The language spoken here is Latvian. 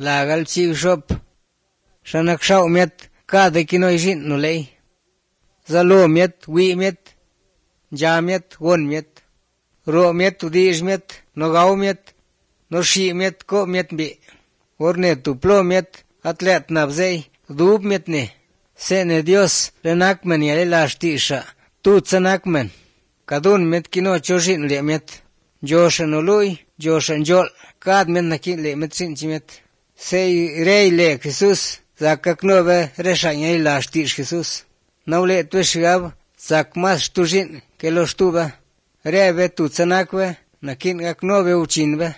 lagal chi shop shanak shau miet ka de kinoi jin no lei zalo miet wi miet ja miet won miet ro miet udish miet no gau miet no shi miet ko miet bi orne tuplo miet atlet nabzei dub miet ne sene Dios lenak men yale lashtisha tu tsanakmen kadun miet kino choshin le miet joshanului joshan jol kad miet nakin le miet sin chimet sei rei le Jesus zakaknove reshañay lashtish Jesus naule tushgab zakmas tujin que los tuba rebe tu tsanakwe nakin aknove uchinbe